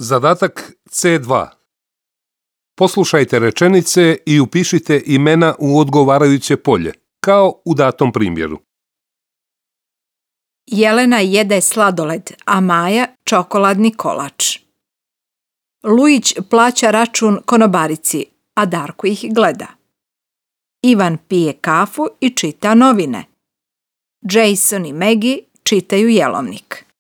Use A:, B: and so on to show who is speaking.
A: Zadatak C2. Poslušajte rečenice i upišite imena u odgovarajuće polje, kao u datom primjeru.
B: Jelena jede sladoled, a Maja čokoladni kolač. Lujić plaća račun konobarici, a Darko ih gleda. Ivan pije kafu i čita novine. Jason i Maggie čitaju jelovnik.